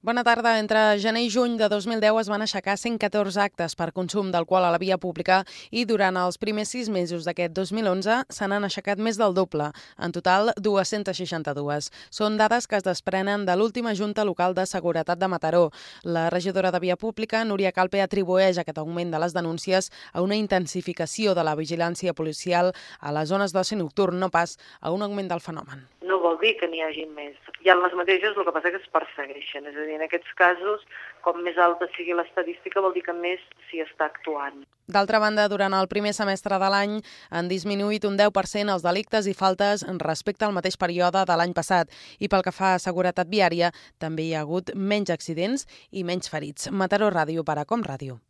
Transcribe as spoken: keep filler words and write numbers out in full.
Bona tarda. Entre gener i juny de dos mil deu es van aixecar cent catorze actes per consum d'alcohol a la via pública i durant els primers sis mesos d'aquest dos mil onze se n'han aixecat més del doble, en total dues-centes seixanta-dues. Són dades que es desprenen de l'última Junta Local de Seguretat de Mataró. La regidora de Via Pública, Núria Calpe, atribueix aquest augment de les denúncies a una intensificació de la vigilància policial a les zones d'oci nocturn, no pas a un augment del fenomen. No vol dir que n'hi hagi més. Hi ha les mateixes, el que passa que es persegueixen. És a dir, en aquests casos, com més alta sigui l'estadística, vol dir que més s'hi està actuant. D'altra banda, durant el primer semestre de l'any han disminuït un deu per cent els delictes i faltes respecte al mateix període de l'any passat. I pel que fa a seguretat viària, també hi ha hagut menys accidents i menys ferits. Mataró Ràdio per a Com Ràdio.